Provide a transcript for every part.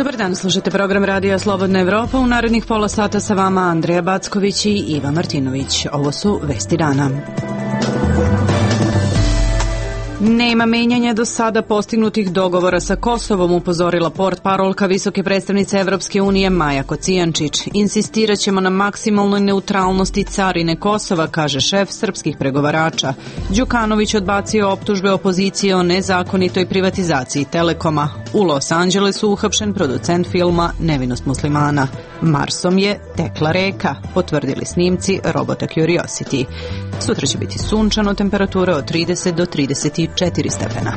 Dobar dan, slušate program Radija Slobodna Evropa. U narednih pola sata sa vama Andreja Backović i Iva Martinović. Ovo su vesti dana. Nema menjanja do sada postignutih dogovora sa Kosovom, upozorila portparolka visoke predstavnice Evropske unije Maja Kocijančić. Insistiraćemo na maksimalnoj neutralnosti carine Kosova, kaže šef srpskih pregovarača. Đukanović odbacio optužbe opozicije o nezakonitoj privatizaciji Telekoma. U Los Angelesu uhapšen producent filma Nevinost muslimana. Marsom je tekla reka, potvrdili snimci robota Curiosity. Sutra će biti sunčano, temperatura od 30 do 34 stepena.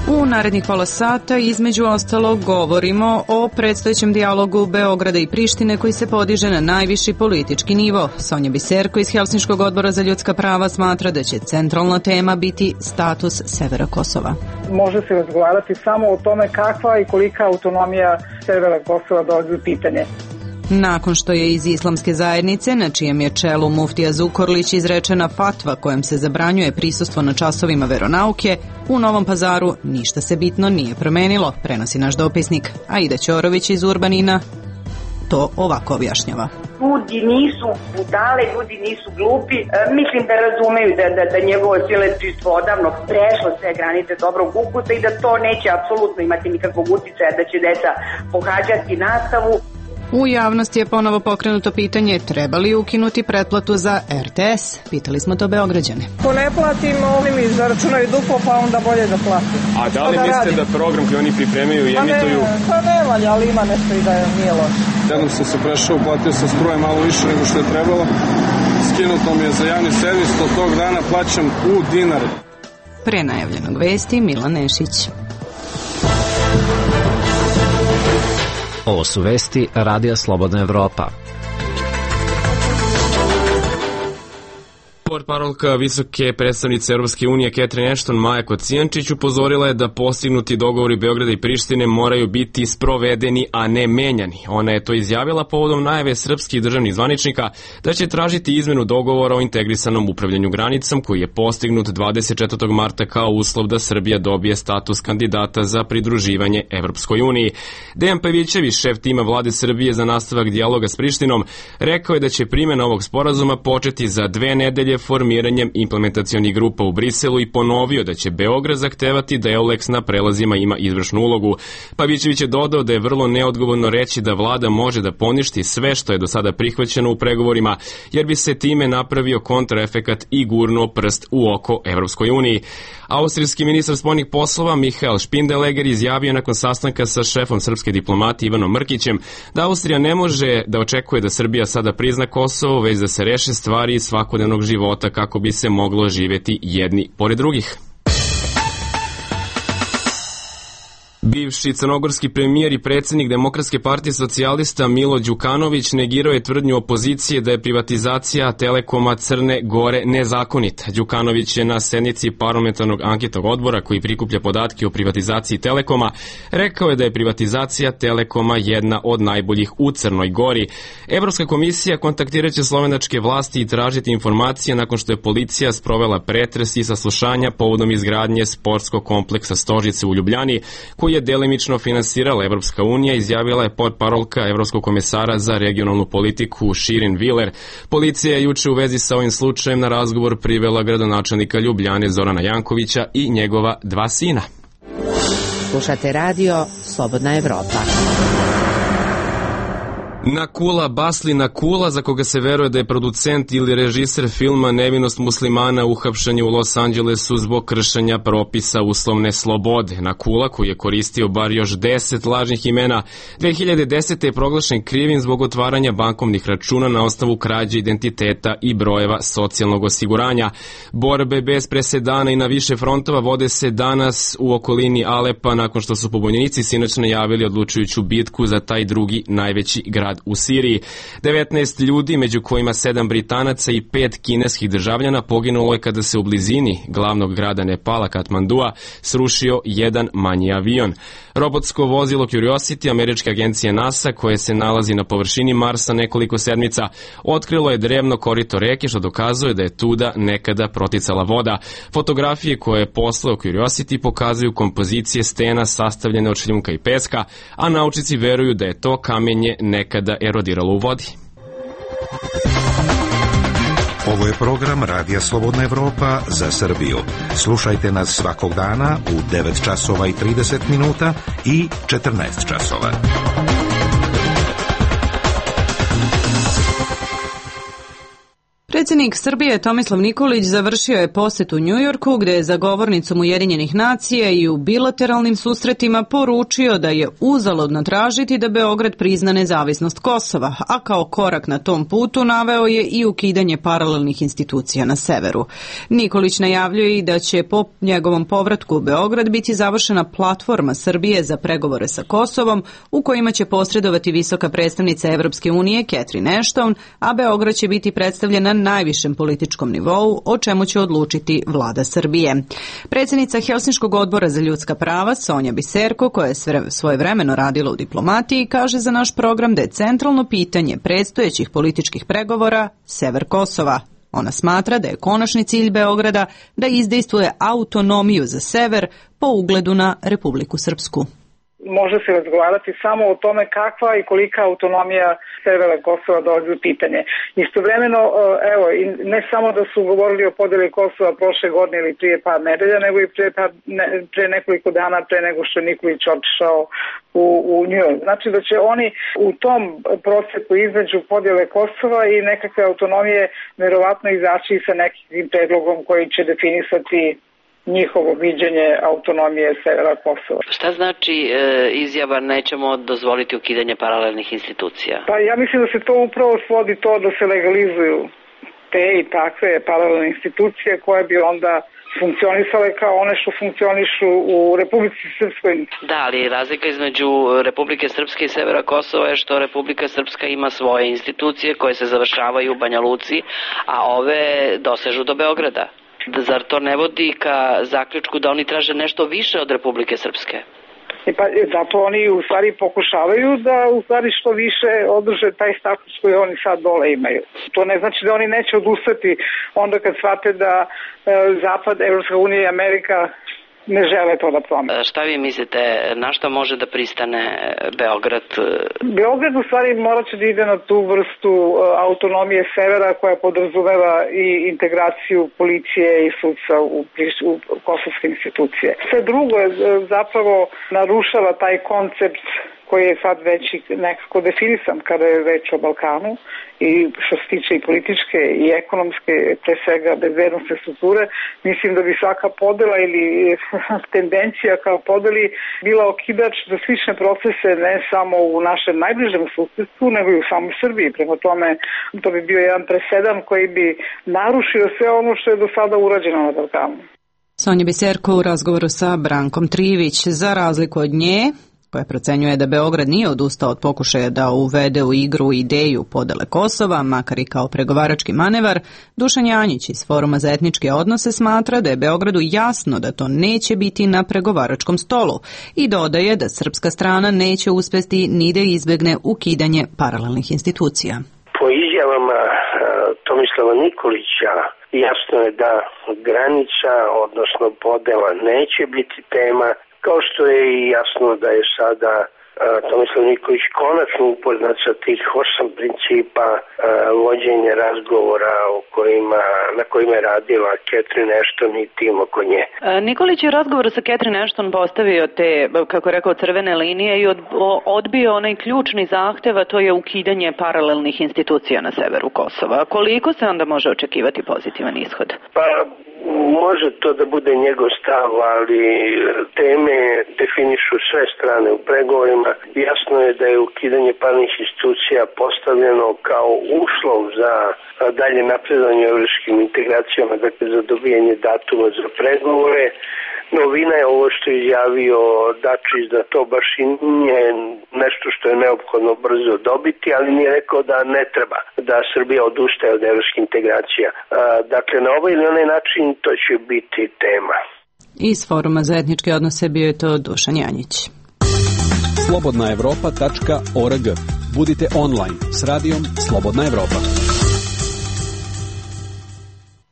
U narednih pola sata između ostalog govorimo o predstojećem dijalogu Beograda i Prištine koji se podiže na najviši politički nivo. Sonja Biserko iz Helsinškog odbora za ljudska prava smatra da će centralna tema biti status severa Kosova. Može se razgovarati samo o tome kakva i kolika autonomija severa Kosova dolazi u pitanje. Nakon što je iz islamske zajednice, na čijem je čelu muftija Zukorlić, izrečena fatva kojom se zabranjuje prisustvo na časovima veronauke, u Novom Pazaru ništa se bitno nije promenilo, prenosi naš dopisnik. Aida Ćorović iz Urbanina to ovako objašnjava. Ljudi nisu budale, ljudi nisu glupi. Mislim da razumeju da njegovo siledžstvo odavno prešlo sve granice dobrog ukusa i da to neće apsolutno imati nikakvog uticaja, da će deca pohađati nastavu. U javnosti je ponovo pokrenuto pitanje treba li ukinuti pretplatu za RTS. Pitali smo to Beograđane. Ko ne platim, oni mi zaračunaju duplo, pa onda bolje da platim. A da li mislite da program koji oni pripremaju i emituju? Pa ne valja, ali ima nešto i da nije loše. Jednom sam se prešao, platio sam struje malo više nego što je trebalo. Skinuto mi je za javni servis, od tog dana plaćam u dinare. Pre najavljenog vesti Milan Nešić. Ovo su vesti Radija Slobodna Evropa. Portparolka visoke predstavnice Europske unije Catherine Ashton Maja Kocijančić upozorila je da postignuti dogovori Beograda i Prištine moraju biti sprovedeni, a ne menjani. Ona je to izjavila povodom najave srpskih državnih zvaničnika da će tražiti izmenu dogovora o integrisanom upravljanju granicom koji je postignut 24. marta kao uslov da Srbija dobije status kandidata za pridruživanje Evropskoj uniji. Dejan Pavićević, šef tima vlade Srbije za nastavak dijaloga s Prištinom, rekao je da će primjena ovog sporazuma početi za 2 nedelje formiranjem implementacionih grupa u Briselu i ponovio da će Beograd zahtevati da EULEX na prelazima ima izvršnu ulogu. Pavićević je dodao da je vrlo neodgovorno reći da vlada može da poništi sve što je do sada prihvaćeno u pregovorima, jer bi se time napravio kontraefekat i gurnuo prst u oko Evropskoj uniji. Austrijski ministar spoljnih poslova Michael Spindeleger izjavio nakon sastanka sa šefom srpske diplomatije Ivanom Mrkićem da Austrija ne može da očekuje da Srbija sada prizna Kosovo, već da se reše stvari iz svakodnevnog života kako bi se moglo živjeti jedni pored drugih. Bivši crnogorski premijer i predsjednik Demokratske partije socijalista Milo Đukanović negirao je tvrdnju opozicije da je privatizacija Telekoma Crne Gore nezakonita. Đukanović je na sednici parlamentarnog anketnog odbora koji prikuplja podatke o privatizaciji Telekoma rekao je da je privatizacija Telekoma jedna od najboljih u Crnoj Gori. Evropska komisija kontaktiraće slovenačke vlasti i tražiti informacije nakon što je policija sprovela pretres i saslušanja povodom izgradnje sportskog kompleksa Stožice u Ljubljani, koji je delimično finansirala Evropska unija, izjavila je portparolka Evropskog komesara za regionalnu politiku Širin Viler. Policija je juče u vezi sa ovim slučajem na razgovor privela gradonačelnika Ljubljane Zorana Jankovića i njegova 2 sina. Slušate radio Slobodna Evropa. Nakula Basli Nakula, za koga se veruje da je producent ili režiser filma Nevinost muslimana, uhapšen je u Los Angelesu zbog kršenja propisa uslovne slobode. Nakula, koji je koristio bar još 10 lažnih imena, 2010. je proglašen krivim zbog otvaranja bankovnih računa na osnovu krađe identiteta i brojeva socijalnog osiguranja. Borbe bez presedana i na više frontova vode se danas u okolini Alepa nakon što su pobunjenici sinoć najavili odlučujuću bitku za taj drugi najveći grad rat u Siriji. 19 ljudi, među kojima 7 Britanaca i 5 kineskih državljana, poginulo je kada se u blizini glavnog grada Nepala, Katmandua, srušio jedan manji avion. Robotsko vozilo Curiosity američke agencije NASA, koje se nalazi na površini Marsa nekoliko sedmica, otkrilo je drevno korito reke, što dokazuje da je tuda nekada proticala voda. Fotografije koje je poslao Curiosity pokazuju kompozicije stena sastavljene od šljunka i peska, a naučnici veruju da je to kamenje nekada erodiralo u vodi. Ovo je program Radija Slobodna Evropa za Srbiju. Slušajte nas svakog dana u 9 časova i 30 minuta i 14 časova. Predsjednik Srbije Tomislav Nikolić završio je posjet u Njujorku, gde je za govornicom Ujedinjenih nacija i u bilateralnim susretima poručio da je uzaludno tražiti da Beograd prizna nezavisnost Kosova, a kao korak na tom putu naveo je i ukidanje paralelnih institucija na severu. Nikolić najavljuje i da će po njegovom povratku u Beograd biti završena platforma Srbije za pregovore sa Kosovom, u kojima će posredovati visoka predstavnica Evropske unije Catherine Ashton, a Beograd će biti predstavljena na najvišem političkom nivou, o čemu će odlučiti vlada Srbije. Predsjednica Helsinškog odbora za ljudska prava, Sonja Biserko, koja je svojevremeno radila u diplomatiji, kaže za naš program da je centralno pitanje predstojećih političkih pregovora sever Kosova. Ona smatra da je konačni cilj Beograda da izdejstvuje autonomiju za sever po ugledu na Republiku Srpsku. Može se razgovarati samo o tome kakva i kolika autonomija severa Kosova dolazi u pitanje. Istovremeno, evo, ne samo da su govorili o podeli Kosova prošle godine ili prije par nedelja, nego i pre nekoliko dana pre nego što je Nikolić otišao u Njujork. Znači da će oni u tom procesu između podjele Kosova i nekakve autonomije verovatno izaći sa nekim predlogom koji će definisati njihovo viđenje autonomije severa Kosova. Šta znači izjava nećemo dozvoliti ukidanje paralelnih institucija? Pa ja mislim da se to upravo svodi to da se legalizuju te i takve paralelne institucije koje bi onda funkcionisale kao one što funkcionišu u Republici Srpskoj. Da, ali razlika između Republike Srpske i severa Kosova je što Republika Srpska ima svoje institucije koje se završavaju u Banja Luci, a ove dosežu do Beograda. Zar to ne vodi ka zaključku da oni traže nešto više od Republike Srpske? Pa zato oni u stvari pokušavaju da u stvari što više održe taj status koji oni sad dole imaju. To ne znači da oni neće odustati onda kad shvate da Zapad, Evropska unija i Amerika ne žele to da promene. Šta vi mislite, na šta može da pristane Beograd? Beograd u stvari morat će da ide na tu vrstu autonomije severa koja podrazumeva i integraciju policije i sudstva u kosovske institucije. Sve drugo je zapravo narušava taj koncept koji je sad već nekako definisan kada je reč o Balkanu i što se tiče i političke i ekonomske, pre svega bezbednosne strukture. Mislim da bi svaka podela ili tendencija kao podeli bila okidač za slične procese ne samo u našem najbližem susedstvu, nego i u samoj Srbiji. Prema tome, to bi bio jedan presedan koji bi narušio sve ono što je do sada urađeno na Balkanu. Sonja Biserko u razgovoru sa Brankom Trivić. Za razliku od nje, koja procenjuje da Beograd nije odustao od pokušaja da uvede u igru ideju podele Kosova, makar i kao pregovarački manevar, Dušan Janjić iz Foruma za etničke odnose smatra da je Beogradu jasno da to neće biti na pregovaračkom stolu i dodaje da srpska strana neće uspesti ni da izbegne ukidanje paralelnih institucija. Po izjavama Tomislava Nikolića jasno je da granica, odnosno podela, neće biti tema, kao što je i jasno da je sada Tomislav Nikolić konačno upoznat sa tih 8 principa vođenja razgovora na kojima je radila Catherine Ashton i tim oko nje. Nikolić je u razgovoru sa Catherine Ashton postavio te, kako je rekao, crvene linije i odbio onaj ključni zahtev, a to je ukidanje paralelnih institucija na severu Kosova. Koliko se onda može očekivati pozitivan ishod? Pa može to da bude njegov stav, ali teme definišu sve strane u pregovorima. Jasno je da je ukidanje paralelnih institucija postavljeno kao uslov za dalje napredovanje u evropskim integracijama, dakle za dobijanje datuma za pregovore. Novina je ovo što je izjavio Dačić, da to baš i nije nešto što je neophodno brzo dobiti, ali nije rekao da ne treba da Srbija odustaje od evropskih integracija. Dakle, na ovaj ili onaj način to će biti tema. Iz Foruma za etničke odnose bio je to Dušan Janjić. slobodnaevropa.org. Budite online s radijom Slobodna Evropa.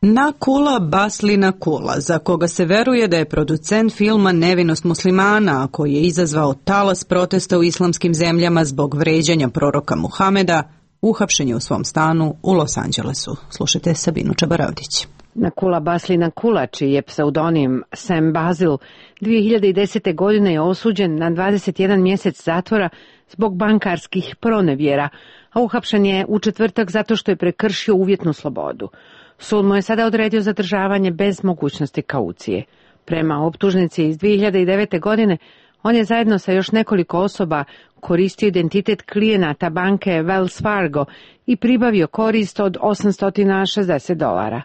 Nakula Baslina Kula, za koga se veruje da je producent filma Nevinost muslimana, a koji je izazvao talas protesta u islamskim zemljama zbog vređanja proroka Muhameda, uhapšen je u svom stanu u Los Angelesu. Slušajte Sabinu Čabaravdić. Nakula Baslina Kula, čiji je pseudonim Sam Basil, 2010. godine je osuđen na 21 mjesec zatvora zbog bankarskih pronevjera, a uhapšen je u četvrtak zato što je prekršio uvjetnu slobodu. Sud mu je sada odredio zadržavanje bez mogućnosti kaucije. Prema optužnici iz 2009. godine, on je zajedno sa još nekoliko osoba koristio identitet klijenata banke Wells Fargo i pribavio korist od $860.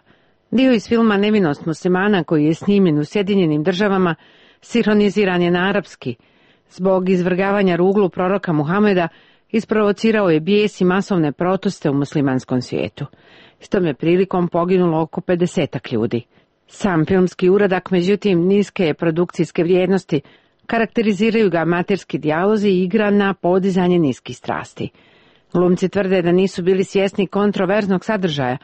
Dio iz filma Nevinost muslimana, koji je snimljen u Sjedinjenim Državama, sinhroniziran je na arapski. Zbog izvrgavanja ruglu proroka Muhameda isprovocirao je bijes i masovne proteste u muslimanskom svijetu. S tom je prilikom poginulo oko 50 ljudi. Sam filmski uradak, međutim, niske je produkcijske vrijednosti, karakteriziraju ga amaterski dijalozi i igra na podizanje niskih strasti. Glumci tvrde da nisu bili svjesni kontroverznog sadržaja.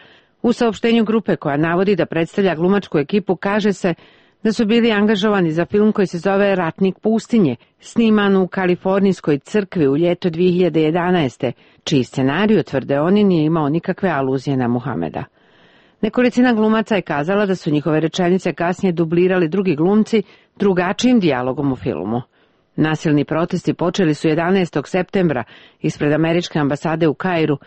U saopštenju grupe koja navodi da predstavlja glumačku ekipu kaže se da su bili angažovani za film koji se zove Ratnik pustinje, sniman u kalifornijskoj crkvi u ljeto 2011. čiji scenariju, tvrde oni, nije imao nikakve aluzije na Muhameda. Nekolicina glumaca je kazala da su njihove rečenice kasnije dublirali drugi glumci drugačijim dijalogom u filmu. Nasilni protesti počeli su 11. septembra ispred američke ambasade u Kairu,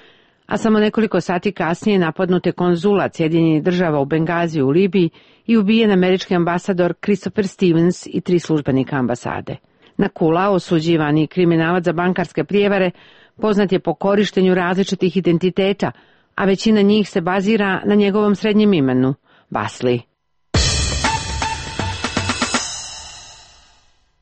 a samo nekoliko sati kasnije napadnut je konzulat Sjedinjenih Država u Bengaziju u Libiji i ubijen američki ambasador Christopher Stevens i 3 službenika ambasade. Nakula, osuđivani kriminalac za bankarske prijevare, poznat je po korištenju različitih identiteta, a većina njih se bazira na njegovom srednjem imenu, Basli.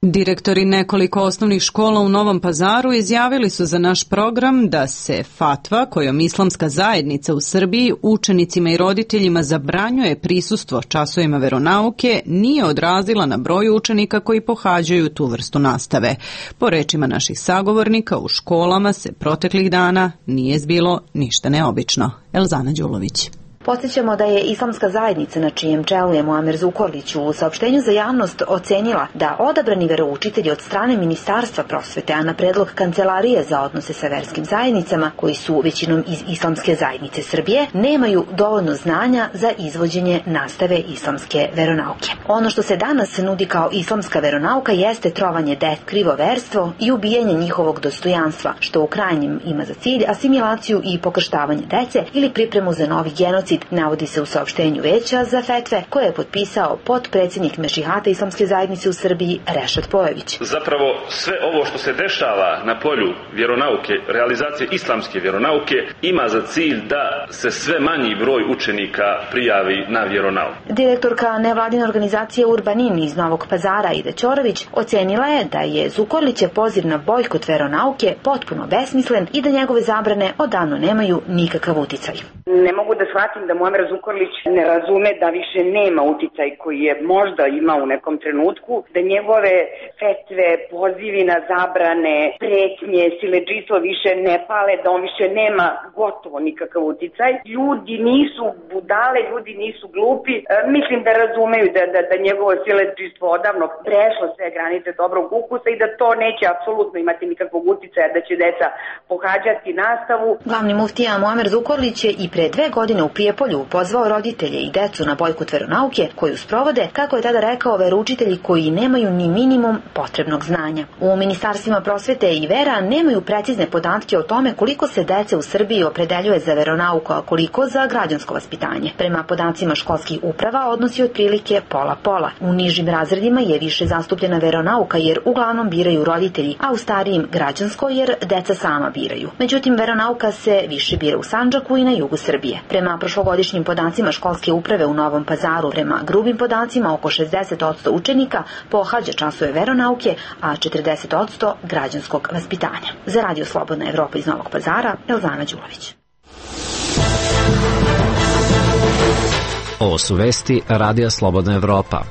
Direktori nekoliko osnovnih škola u Novom Pazaru izjavili su za naš program da se fatva kojom islamska zajednica u Srbiji učenicima i roditeljima zabranjuje prisustvo časovima veronauke nije odrazila na broj učenika koji pohađaju tu vrstu nastave. Po rečima naših sagovornika, u školama se proteklih dana nije zbilo ništa neobično. Elzana Đulović. Podsjećamo da je islamska zajednica, na čijem čelu je Muamer Zukorlić, u saopštenju za javnost ocenila da odabrani veroučitelji od strane Ministarstva prosvete, a na predlog Kancelarije za odnose sa verskim zajednicama, koji su većinom iz islamske zajednice Srbije, nemaju dovoljno znanja za izvođenje nastave islamske veronauke. Ono što se danas nudi kao islamska veronauka jeste trovanje krivoverstvo i ubijanje njihovog dostojanstva, što u krajnjem ima za cilj asimilaciju i pokrštavanje dece ili pripremu za novi genocid, navodi se u saopštenju Veća za fetve koje je potpisao potpredsjednik Mešihata islamske zajednice u Srbiji Rešad Pojević. Zapravo sve ovo što se dešava na polju vjeronauke, realizacije islamske vjeronauke, ima za cilj da se sve manji broj učenika prijavi na vjeronauku. Direktorka nevladine organizacije Urbanin iz Novog Pazara Ida Ćorović ocenila je da je Zukorlićev poziv na bojkot veronauke potpuno besmislen i da njegove zabrane odavno nemaju nikakav uticaj. Ne mogu da shvatim da Muamer Zukorlić ne razume da više nema uticaj koji je možda imao u nekom trenutku, da njegove fetve, pozivi na zabrane, pretnje, siledžijstvo više ne pale, da on više nema gotovo nikakav uticaj. Ljudi nisu budale, ljudi nisu glupi. Mislim da razumeju da njegovo siledžijstvo odavno prešlo sve granice dobrog ukusa i da to neće apsolutno imati nikakvog uticaja, da će deca pohađati nastavu. Glavni muftija Muamer Zukorlić je i pre 2 godine u Prijepolju pozvao roditelje i decu na bojkot veronauke koju sprovode, kako je tada rekao, veroučitelji koji nemaju ni minimum potrebnog znanja. U ministarstvima prosvete i vera nemaju precizne podatke o tome koliko se dece u Srbiji opredeljuje za veronauku, a koliko za građansko vaspitanje. Prema podacima školskih uprava odnosi otprilike pola-pola. U nižim razredima je više zastupljena veronauka jer uglavnom biraju roditelji, a u starijim građansko jer deca sama biraju. Međutim, veronauka se više bira u Sandžaku i na jugu Srbije. Prema prošlogodišnjem ovogodišnjim podacima školske uprave u Novom Pazaru, prema grubim podacima oko 60% učenika pohađa časove veronauke, a 40% građanskog vaspitanja. Za Radio Slobodna Evropa iz Novog Pazara, Elzana Đulović. Ovo su vesti Radija Slobodna Evropa.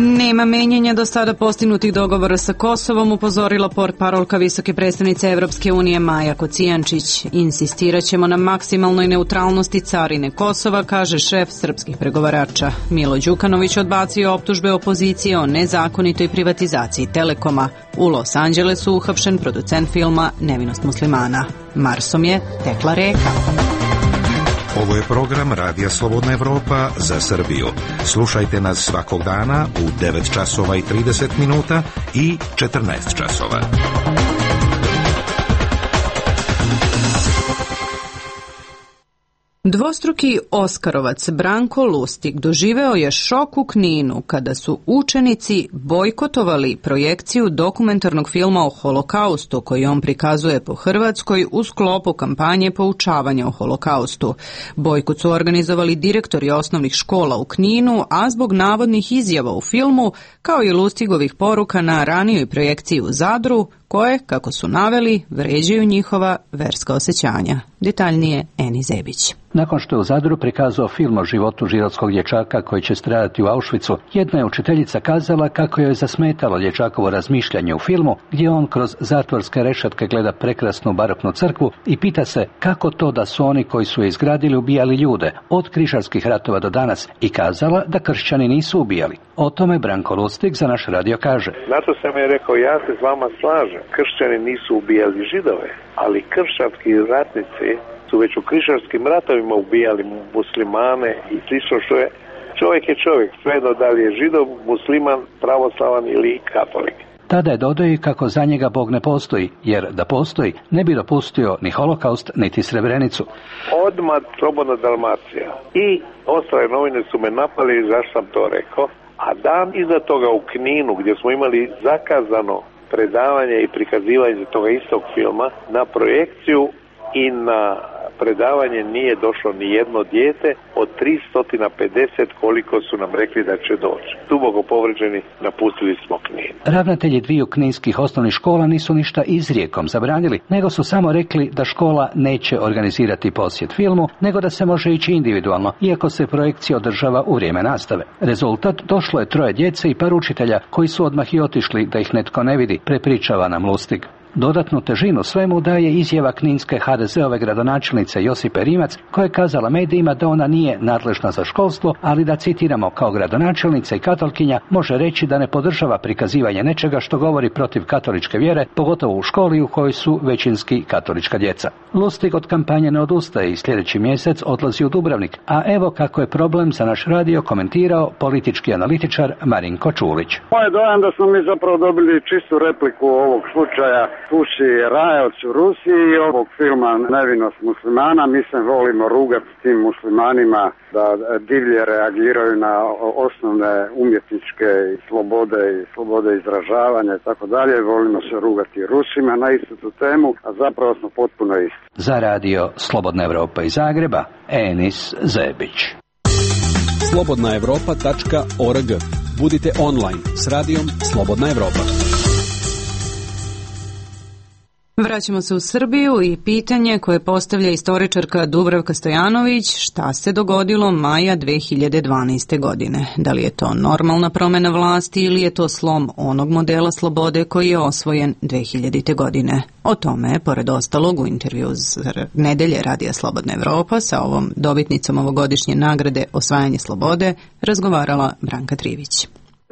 Nema menjanja do sada postignutih dogovora sa Kosovom, upozorila portparolka visoke predstavnice Evropske unije Maja Kocijančić. Insistiraćemo na maksimalnoj neutralnosti carine Kosova, kaže šef srpskih pregovarača. Milo Đukanović odbacio optužbe opozicije o nezakonitoj privatizaciji Telekoma. U Los Angelesu uhapšen producent filma Nevinost muslimana. Marsom je tekla reka. Ovo je program Radija Slobodna Evropa za Srbiju. Slušajte nas svakog dana u 9 časova i 30 minuta i 14 časova. Dvostruki Oskarovac Branko Lustig doživeo je šok u Kninu kada su učenici bojkotovali projekciju dokumentarnog filma o Holokaustu koji on prikazuje po Hrvatskoj u sklopu kampanje poučavanja o Holokaustu. Bojkot su organizovali direktori osnovnih škola u Kninu, a zbog navodnih izjava u filmu, kao i Lustigovih poruka na ranijoj projekciji u Zadru, koje, kako su naveli, vređaju njihova verska osjećanja. Detaljnije Eni Zebić. Nakon što je u Zadru prikazao film o životu židovskog dječaka koji će stradati u Auschwitzu, jedna je učiteljica kazala kako joj je zasmetalo dječakovo razmišljanje u filmu, gdje on kroz zatvorske rešetke gleda prekrasnu baroknu crkvu i pita se kako to da su oni koji su je izgradili ubijali ljude od križarskih ratova do danas, i kazala da kršćani nisu ubijali. O tome Branko Lustig za naš radio kaže. Zato sam je rekao, ja se s vama slažem. Kršćani nisu ubijali židove, ali kršćanski ratnici su već u križarskim ratovima ubijali muslimane i slično, što je čovjek je čovjek, svejedno da li je židov, musliman, pravoslavan ili katolik. Tada je dodao kako za njega Bog ne postoji, jer da postoji ne bi dopustio ni Holokaust, niti Srebrenicu. Odmah Slobodna Dalmacija i ostale novine su me napali zašto sam to rekao, a dan iza toga u Kninu, gdje smo imali zakazano predavanje i prikazivanje toga istog filma, na projekciju i na predavanje nije došlo ni jedno dijete od 350 koliko su nam rekli da će doći. Duboko povređeni napustili smo Knin. Ravnatelji dviju kninskih osnovnih škola nisu ništa izrijekom zabranili, nego su samo rekli da škola neće organizirati posjet filmu, nego da se može ići individualno, iako se projekcija održava u vrijeme nastave. Rezultat, došlo je 3 djece i par učitelja koji su odmah i otišli da ih netko ne vidi, prepričava nam Lustig. Dodatnu težinu svemu daje izjava kninske HDZ-ove gradonačelnice Josipe Rimac, koja je kazala medijima da ona nije nadležna za školstvo, ali da, citiramo, kao gradonačelnica i katolkinja može reći da ne podržava prikazivanje nečega što govori protiv katoličke vjere, pogotovo u školi u kojoj su većinski katolička djeca. Lustig od kampanje ne odustaje i sljedeći mjesec odlazi u Dubrovnik, a evo kako je problem za naš radio komentirao politički analitičar Marinko Čulić. Moj dojam da smo mi zapravo dobili čistu repliku ovog slučaja Puši Rajac u Rusiji i ovog filma Nevinost muslimana. Mi se volimo rugati s tim muslimanima da divlje reagiraju na osnovne umjetničke slobode izražavanja i tako dalje. Volimo se rugati Rusima na istu tu temu, a zapravo smo potpuno isti. Za radio Slobodna Evropa iz Zagreba, Enis Zebić. slobodnaevropa.org. Budite online s radijom Slobodna Evropa. Vraćamo se u Srbiju i pitanje koje postavlja istoričarka Dubravka Stojanović: šta se dogodilo maja 2012. godine? Da li je to normalna promjena vlasti ili je to slom onog modela slobode koji je osvojen 2000. godine? O tome, pored ostalog, u intervju za nedelje Radija Slobodna Evropa sa ovom dobitnicom ovogodišnje nagrade Osvajanje slobode razgovarala Branka Trivić.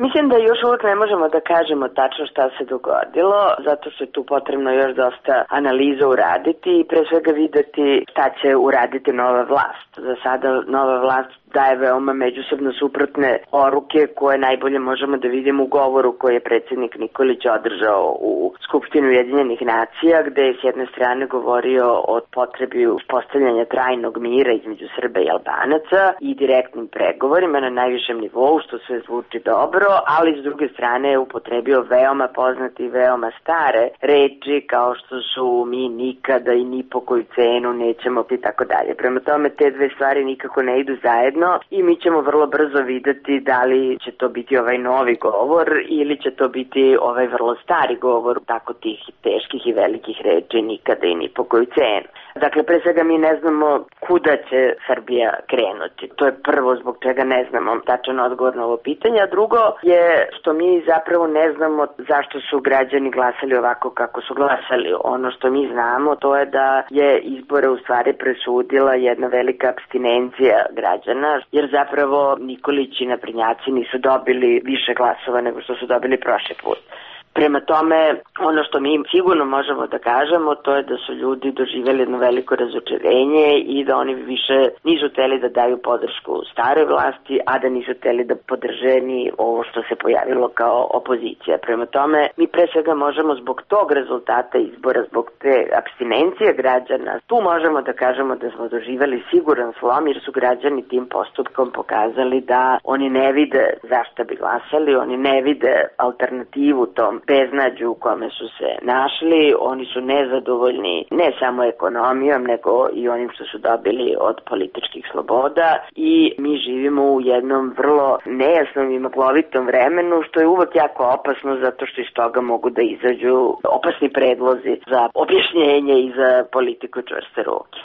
Mislim da još uvijek ne možemo da kažemo tačno šta se dogodilo, zato što je tu potrebno još dosta analiza uraditi i pre svega videti šta će uraditi nova vlast. Za sada nova vlast daje veoma međusobno suprotne poruke koje najbolje možemo da vidimo u govoru koji je predsjednik Nikolić održao u Skupštini Ujedinjenih nacija, gde je s jedne strane govorio o potrebi uspostavljanja trajnog mira između Srba i Albanaca i direktnim pregovorima na najvišem nivou, što sve zvuči dobro, ali s druge strane je upotrebio veoma poznate i veoma stare reči kao što su mi nikada i ni po koju cenu nećemo i tako dalje. Prema tome te dve stvari nikako ne idu zajedno i mi ćemo vrlo brzo videti da li će to biti ovaj novi govor ili će to biti ovaj vrlo stari govor tako tih teških i velikih reči nikada i ni po koju cenu. Dakle, pre svega mi ne znamo kuda će Srbija krenuti. To je prvo zbog čega ne znamo tačan odgovor na ovo pitanje, a drugo je što mi zapravo ne znamo zašto su građani glasali ovako kako su glasali. Ono što mi znamo to je da je izbore u stvari presudila jedna velika apstinencija građana, jer zapravo Nikolić i naprednjaci nisu dobili više glasova nego što su dobili prošli put. Prema tome, ono što mi sigurno možemo da kažemo, to je da su ljudi doživjeli jedno veliko razočarenje i da oni više nisu hteli da daju podršku staroj vlasti, a da nisu hteli da podrže ni ovo što se pojavilo kao opozicija. Prema tome, mi pre svega možemo zbog tog rezultata izbora, zbog te apstinencije građana, tu možemo da kažemo da smo doživjeli siguran slom, jer su građani tim postupkom pokazali da oni ne vide zašto bi glasali, oni ne vide alternativu tom beznađu u kome su se našli, oni su nezadovoljni ne samo ekonomijom, nego i onim što su dobili od političkih sloboda i mi živimo u jednom vrlo nejasnom i maglovitom vremenu, što je uvek jako opasno zato što iz toga mogu da izađu opasni predlozi za objašnjenje i za politiku čvrste ruke.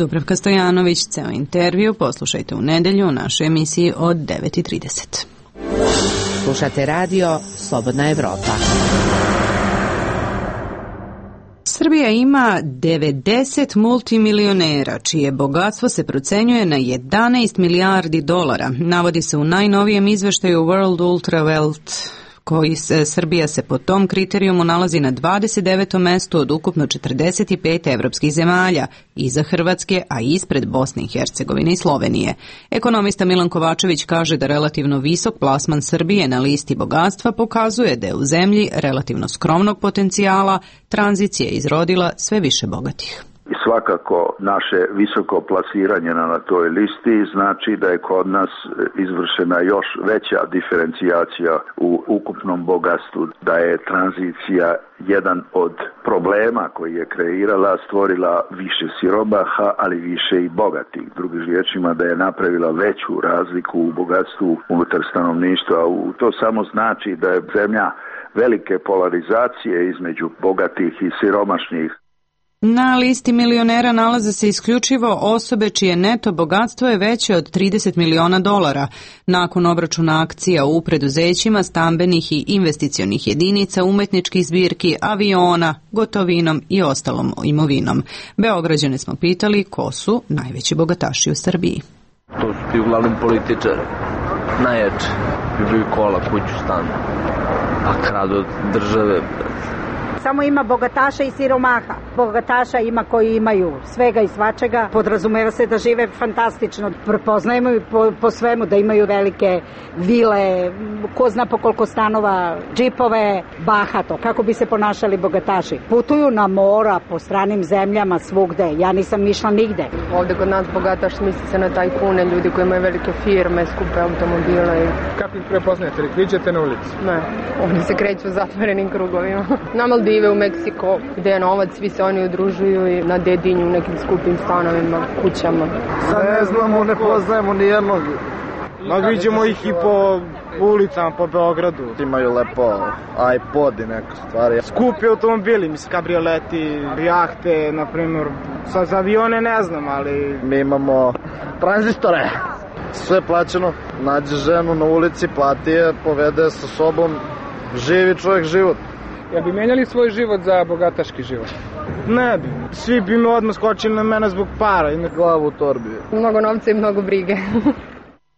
Dubravka Stojanović, ceo intervju poslušajte u nedelju u našoj emisiji od 9:30. Slušate radio Slobodna Evropa. Srbija ima 90 multimilionera, čije bogatstvo se procenjuje na 11 milijardi dolara. Navodi se u najnovijem izveštaju World Ultra Wealth, Srbija se po tom kriterijumu nalazi na 29. mestu od ukupno 45 evropskih zemalja, iza Hrvatske, a ispred Bosne i Hercegovine i Slovenije. Ekonomista Milan Kovačević kaže da relativno visok plasman Srbije na listi bogatstva pokazuje da je u zemlji relativno skromnog potencijala tranzicija izrodila sve više bogatih. I svakako naše visoko plasiranje na toj listi znači da je kod nas izvršena još veća diferencijacija u ukupnom bogatstvu, da je tranzicija jedan od problema koji je kreirala, stvorila više siromaha, ali više i bogatih. Drugim riječima da je napravila veću razliku u bogatstvu unutar stanovništva. To samo znači da je zemlja velike polarizacije između bogatih i siromašnih. Na listi milionera nalaze se isključivo osobe čije neto bogatstvo je veće od 30 miliona dolara. Nakon obračuna akcija u preduzećima, stambenih i investicionih jedinica, umetničkih zbirki, aviona, gotovinom i ostalom imovinom. Beograđane smo pitali ko su najveći bogataši u Srbiji. To su ti uglavnom političari, najjači, ljubiju kola, kuću, stan, a kradu od države. Samo ima bogataša i siromaha. Bogataša ima koji imaju svega i svačega. Podrazumeva se da žive fantastično. Prepoznajemo i po svemu da imaju velike vile, ko zna po koliko stanova, džipove, bahato. Kako bi se ponašali bogataši? Putuju na mora, po stranim zemljama, svugde. Ja nisam išla nigde. Ovde kod nas bogataš misli se na tajkune, ljudi koji imaju velike firme, skupe automobile. Kako ih prepoznajete? Ih viđete na ulici? Ne, ovdje se kreću zatvorenim krugovima. Na Maldive, u Meksiko, gde je novac, svi se oni udružuju i na Dedinju, u nekim skupim stanovima, kućama. Sad ne znamo, ne poznajemo ni jednog. Vidimo ih i po ulicama, po Beogradu. Imaju lepo iPod i neke stvari. Skupi automobili, mislim, kabrioleti, jahte, na primjer. Sad za avione ne znam, ali... Mi imamo tranzistore. Sve plaćeno. Nađe ženu na ulici, plati je, povede sa sobom, živi čovjek život. Ja bi menjali svoj život za bogataški život? Ne bi. Svi bi me odmah skočili na mene zbog para i na glavu u torbi. Mnogo novca i mnogo brige.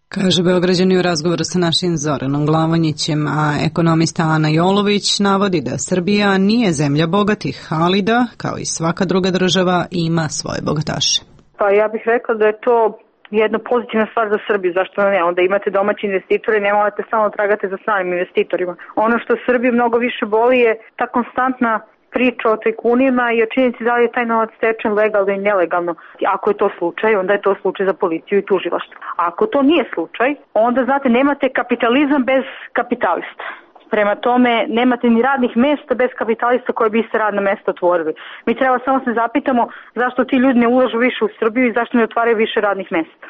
Kaže Beograđani u razgovoru sa našim Zoranom Glavonjićem, a ekonomista Ana Jolović navodi da Srbija nije zemlja bogatih, ali da, kao i svaka druga država, ima svoje bogataše. Pa ja bih rekla da je to jedna pozitivna stvar za Srbiju, zašto ne? Onda imate domaći investitore i ne morate samo tragate za stranim investitorima. Ono što Srbiju mnogo više boli je ta konstantna priča o tajkunima i o činjenici da li je taj novac stečen legalno i nelegalno. Ako je to slučaj, onda je to slučaj za policiju i tužilaštvo. A ako to nije slučaj, onda, znate, nemate kapitalizam bez kapitalista. Prema tome, nemate ni radnih mesta bez kapitalista koje bi se radna mesta otvorili. Mi treba samo se zapitamo zašto ti ljudi ne ulažu više u Srbiju i zašto ne otvaraju više radnih mesta.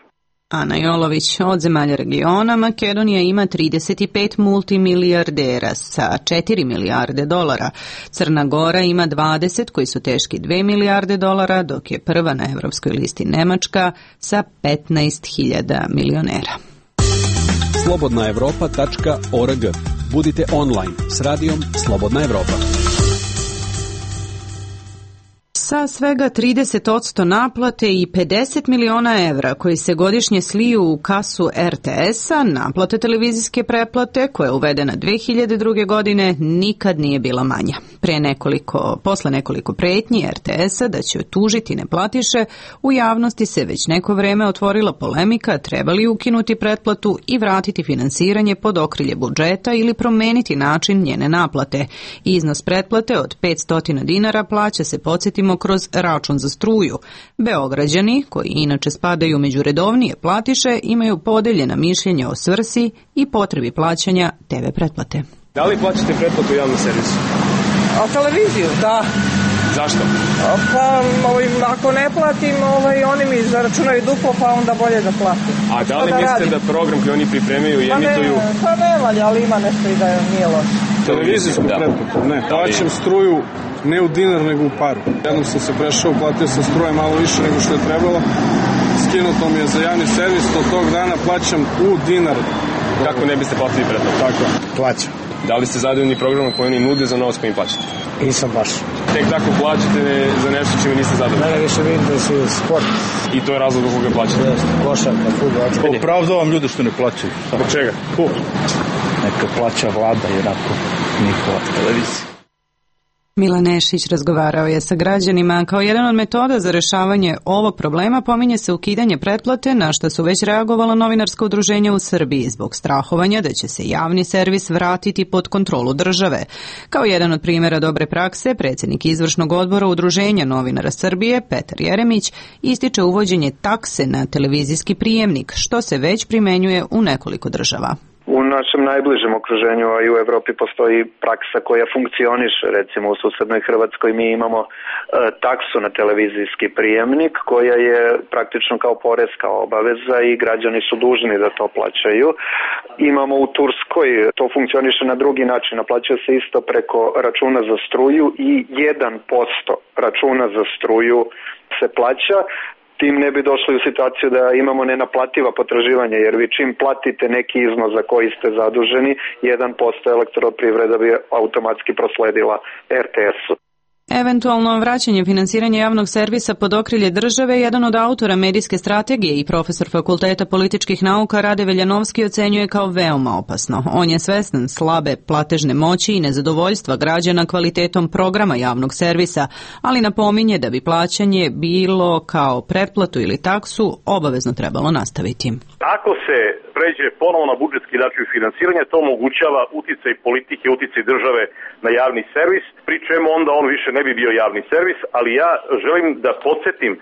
Ana Jolović, od zemalja regiona, Makedonija ima 35 multimilijardera sa 4 milijarde dolara. Crna Gora ima 20 koji su teški 2 milijarde dolara, dok je prva na evropskoj listi Nemačka sa 15.000 milionera. slobodnaevropa.org. Budite online s radijom Slobodna Evropa. Sa svega 30% naplate i 50 miliona evra koji se godišnje sliju u kasu RTS-a, naplate televizijske pretplate koja je uvedena 2002. godine nikad nije bila manja. Posle nekoliko pretnji RTS-a da će tužiti neplatiše, u javnosti se već neko vreme otvorila polemika treba li ukinuti pretplatu i vratiti finansiranje pod okrilje budžeta ili promeniti način njene naplate. Iznos pretplate od 500 dinara plaća se, podsjetimo, kroz račun za struju. Beograđani, koji inače spadaju među redovnije platiše, imaju podeljena mišljenja o svrsi i potrebi plaćanja TV pretplate. Da li plaćate pretplatu u javnom servisu? A televiziju, da. Zašto? Pa, ako ne platim, oni mi zaračunaju duplo, pa onda bolje da platim. A da li mislite da program koji oni pripremaju i emituju... Pa ne valja, ali ima nešto i da nije loše. Televizijsku pretplatu, ne. Plaćam struju ne u dinar, nego u paru. Jednom sam se prešao, platio sam struje malo više nego što je trebalo. Skinuto mi je za javni servis, od tog dana plaćam u dinar. Kako ne biste platili pretplatu? Tako, plaćam. Da li ste zadovoljni programom koji oni nude za novac koji im plaćate? Nisam baš. Tek tako plaćate za nešto čime niste zadovoljni? Ne, više vidim da su sport. I to je razlog zbog koga plaćate? Jeste, košarka, fudbal. Opravdavam ljude što ne plaćaju. Zbog čega? Neka plaća vlada i onako njihova televizija. Milan Nešić razgovarao je sa građanima. Kao jedan od metoda za rešavanje ovog problema pominje se ukidanje pretplate, na što su već reagovala novinarska udruženja u Srbiji zbog strahovanja da će se javni servis vratiti pod kontrolu države. Kao jedan od primjera dobre prakse, predsjednik izvršnog odbora Udruženja novinara Srbije, Petar Jeremić, ističe uvođenje takse na televizijski prijemnik, što se već primenjuje u nekoliko država. U našem najbližem okruženju, a i u Evropi postoji praksa koja funkcioniše. Recimo u susednoj Hrvatskoj mi imamo taksu na televizijski prijemnik koja je praktično kao poreska obaveza i građani su dužni da to plaćaju. Imamo u Turskoj, to funkcioniše na drugi način, naplaćuje se isto preko računa za struju i 1% računa za struju se plaća. Tim ne bi došli u situaciju da imamo nenaplativa potraživanja, jer vi čim platite neki iznos za koji ste zaduženi, 1% elektroprivreda bi automatski prosledila RTS-u. Eventualno vraćanje finansiranja javnog servisa pod okrilje države, jedan od autora medijske strategije i profesor Fakulteta političkih nauka Rade Veljanovski ocenjuje kao veoma opasno. On je svestan slabe platežne moći i nezadovoljstva građana kvalitetom programa javnog servisa, ali napominje da bi plaćanje bilo kao pretplatu ili taksu obavezno trebalo nastaviti. Ako se pređe ponovo na budžetski način finansiranja, to omogućava uticaj politike, uticaj države na javni servis, pri čemu onda on više ne bi bio javni servis, ali ja želim da podsjetim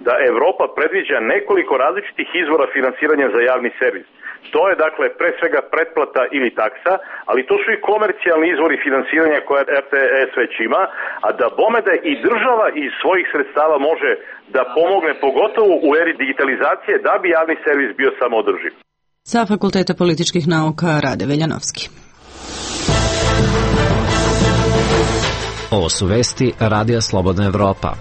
da Evropa predviđa nekoliko različitih izvora finansiranja za javni servis. To je dakle pre svega pretplata ili taksa, ali to su i komercijalni izvori finansiranja koje RTS već ima, a da bome da i država iz svojih sredstava može da pomogne, pogotovo u eri digitalizacije, da bi javni servis bio samoodrživ. Sa Fakulteta političkih nauka Rade Veljanovski. Ovo su vesti Radija Slobodna Evropa.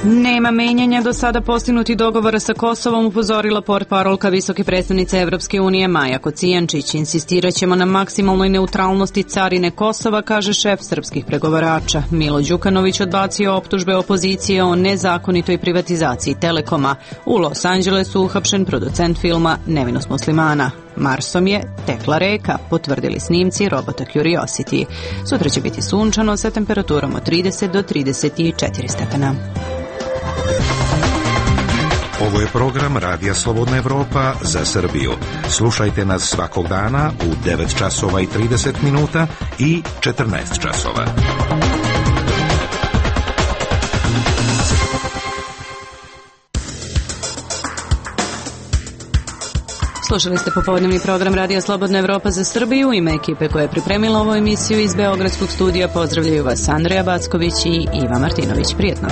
Nema menjanja do sada postignutih dogovora sa Kosovom, upozorila portparolka visoke predstavnice Evropske unije Maja Kocijančić. Insistiraćemo na maksimalnoj neutralnosti carine Kosova, kaže šef srpskih pregovarača. Milo Đukanović odbacio optužbe opozicije o nezakonitoj privatizaciji Telekoma. U Los Angelesu uhapšen producent filma Nevinost muslimana. Marsom je tekla reka, potvrdili snimci robota Curiosity. Sutra će biti sunčano sa temperaturom od 30 do 34 stepena. Ovo je program Radija Slobodna Evropa za Srbiju. Slušajte nas svakog dana u 9 časova i 30 minuta i 14 časova. Slušali ste popodnevni program Radija Slobodna Evropa za Srbiju. U ime ekipe koja je pripremila ovu emisiju iz Beogradskog studija pozdravljaju vas Andreja Backović i Iva Martinović. Prijetno.